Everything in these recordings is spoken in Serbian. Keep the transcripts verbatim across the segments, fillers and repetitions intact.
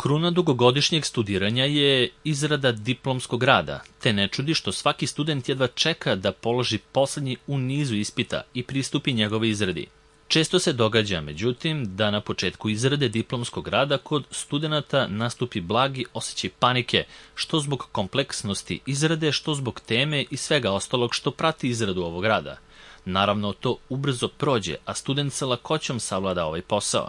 Kruna dugogodišnjeg studiranja je izrada diplomskog rada, te ne čudi što svaki student jedva čeka da položi poslednji u nizu ispita i pristupi njegove izradi. Često se događa, međutim, da na početku izrade diplomskog rada kod studenata nastupi blagi osjećaj panike, što zbog kompleksnosti izrade, što zbog teme i svega ostalog što prati izradu ovog rada. Naravno, to ubrzo prođe, a student sa lakoćom savlada ovaj posao.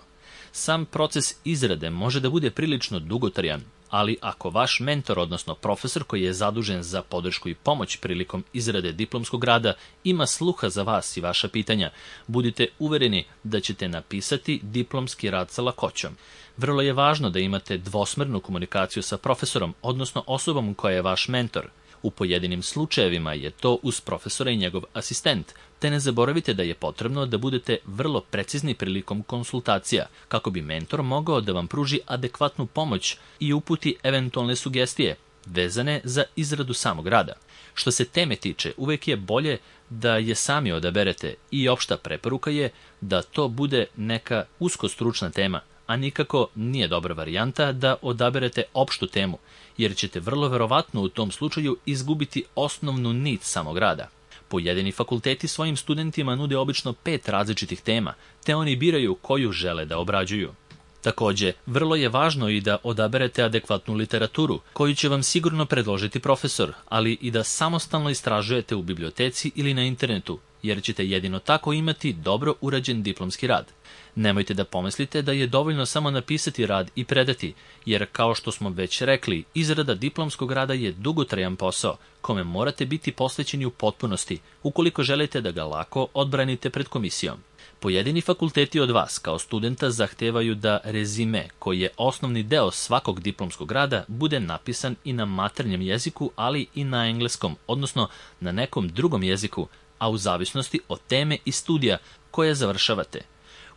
Sam proces izrade može da bude prilično dugotrajan, ali ako vaš mentor, odnosno profesor koji je zadužen za podršku i pomoć prilikom izrade diplomskog rada, ima sluha za vas i vaša pitanja, budite uvereni da ćete napisati diplomski rad sa lakoćom. Vrlo je važno da imate dvosmernu komunikaciju sa profesorom, odnosno osobom koja je vaš mentor. U pojedinim slučajevima je to uz profesora i njegov asistent, te ne zaboravite da je potrebno da budete vrlo precizni prilikom konsultacija, kako bi mentor mogao da vam pruži adekvatnu pomoć i uputi eventualne sugestije vezane za izradu samog rada. Što se teme tiče, uvek je bolje da je sami odaberete i opšta preporuka je da to bude neka usko stručna tema, a nikako nije dobra varijanta da odaberete opštu temu, jer ćete vrlo verovatno u tom slučaju izgubiti osnovnu nit samog rada. Pojedini fakulteti svojim studentima nude obično pet različitih tema, te oni biraju koju žele da obrađuju. Takođe, vrlo je važno i da odaberete adekvatnu literaturu, koju će vam sigurno predložiti profesor, ali i da samostalno istražujete u biblioteci ili na internetu, jer ćete jedino tako imati dobro urađen diplomski rad. Nemojte da pomislite da je dovoljno samo napisati rad i predati, jer kao što smo već rekli, izrada diplomskog rada je dugotrajan posao, kome morate biti posvećeni u potpunosti, ukoliko želite da ga lako odbranite pred komisijom. Pojedini fakulteti od vas, kao studenta, zahtevaju da rezime, koji je osnovni deo svakog diplomskog rada, bude napisan i na maternjem jeziku, ali i na engleskom, odnosno na nekom drugom jeziku, a u zavisnosti od teme i studija koje završavate.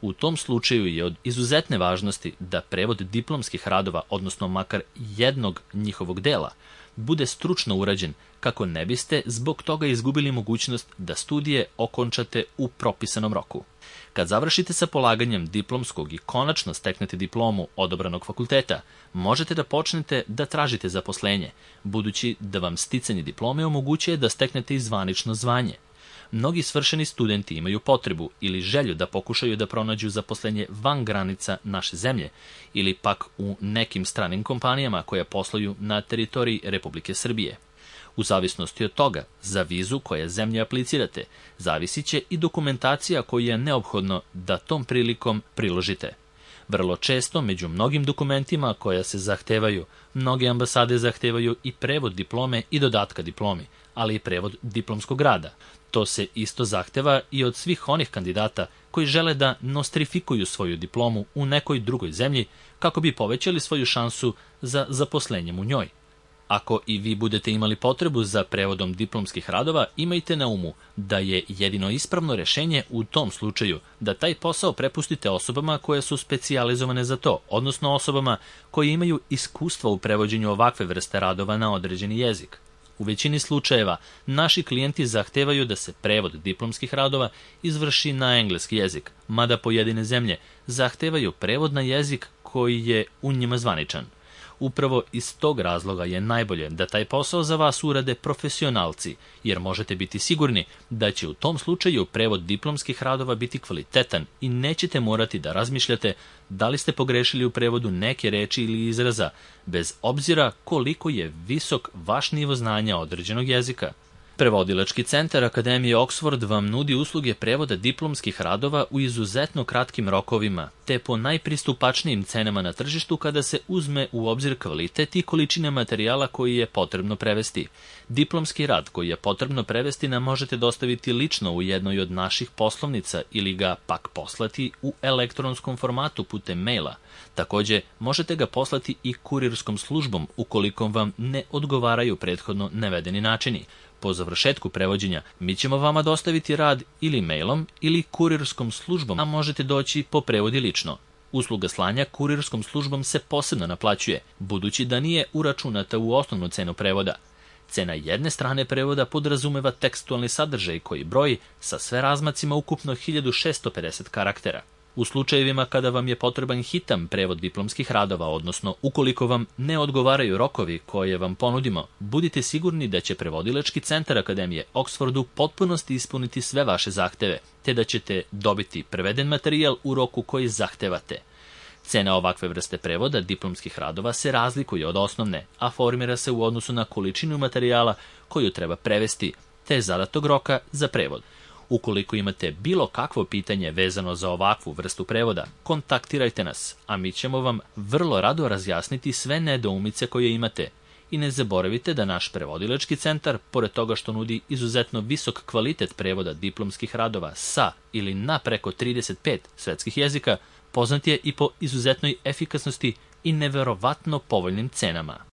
U tom slučaju je od izuzetne važnosti da prevod diplomskih radova, odnosno makar jednog njihovog dela, bude stručno urađen, kako ne biste zbog toga izgubili mogućnost da studije okončate u propisanom roku. Kad završite sa polaganjem diplomskog i konačno steknete diplomu odabranog fakulteta, možete da počnete da tražite zaposlenje, budući da vam sticanje diplome omogućuje da steknete i zvanično zvanje. Mnogi svršeni studenti imaju potrebu ili želju da pokušaju da pronađu zaposlenje van granica naše zemlje ili pak u nekim stranim kompanijama koje posluju na teritoriji Republike Srbije. U zavisnosti od toga, za vizu koje zemlje aplicirate, zavisit će i dokumentacija koju je neophodno da tom prilikom priložite. Vrlo često, među mnogim dokumentima koja se zahtevaju, mnoge ambasade zahtevaju i prevod diplome i dodatka diplomi, ali i prevod diplomskog rada. To se isto zahteva i od svih onih kandidata koji žele da nostrifikuju svoju diplomu u nekoj drugoj zemlji kako bi povećali svoju šansu za zaposlenjem u njoj. Ako i vi budete imali potrebu za prevodom diplomskih radova, imajte na umu da je jedino ispravno rešenje u tom slučaju da taj posao prepustite osobama koje su specijalizovane za to, odnosno osobama koje imaju iskustva u prevođenju ovakve vrste radova na određeni jezik. U većini slučajeva, naši klijenti zahtevaju da se prevod diplomskih radova izvrši na engleski jezik, mada pojedine zemlje zahtevaju prevod na jezik koji je u njima zvaničan. Upravo iz tog razloga je najbolje da taj posao za vas urade profesionalci, jer možete biti sigurni da će u tom slučaju prevod diplomskih radova biti kvalitetan i nećete morati da razmišljate da li ste pogrešili u prevodu neke reči ili izraza, bez obzira koliko je visok vaš nivo znanja određenog jezika. Prevodilački centar Akademije Oxford vam nudi usluge prevoda diplomskih radova u izuzetno kratkim rokovima, te po najpristupačnijim cenama na tržištu kada se uzme u obzir kvalitet i količine materijala koji je potrebno prevesti. Diplomski rad koji je potrebno prevesti nam možete dostaviti lično u jednoj od naših poslovnica ili ga pak poslati u elektronskom formatu putem maila. Takođe, možete ga poslati i kurirskom službom ukoliko vam ne odgovaraju prethodno navedeni načini. Po završetku prevođenja, mi ćemo vama dostaviti rad ili mailom ili kurirskom službom, a možete doći po prevodi lično. Usluga slanja kurirskom službom se posebno naplaćuje, budući da nije uračunata u osnovnu cenu prevoda. Cena jedne strane prevoda podrazumeva tekstualni sadržaj koji broji sa sve razmacima ukupno hiljadu šesto pedeset karaktera. U slučajevima kada vam je potreban hitan prevod diplomskih radova, odnosno ukoliko vam ne odgovaraju rokovi koje vam ponudimo, budite sigurni da će Prevodilački centar Akademije Oxfordu potpunosti ispuniti sve vaše zahteve, te da ćete dobiti preveden materijal u roku koji zahtevate. Cena ovakve vrste prevoda diplomskih radova se razlikuje od osnovne, a formira se u odnosu na količinu materijala koju treba prevesti, te zadatog roka za prevod. Ukoliko imate bilo kakvo pitanje vezano za ovakvu vrstu prevoda, kontaktirajte nas, a mi ćemo vam vrlo rado razjasniti sve nedoumice koje imate. I ne zaboravite da naš Prevodilački centar, pored toga što nudi izuzetno visok kvalitet prevoda diplomskih radova sa ili na preko trideset pet svetskih jezika, poznat je i po izuzetnoj efikasnosti i neverovatno povoljnim cenama.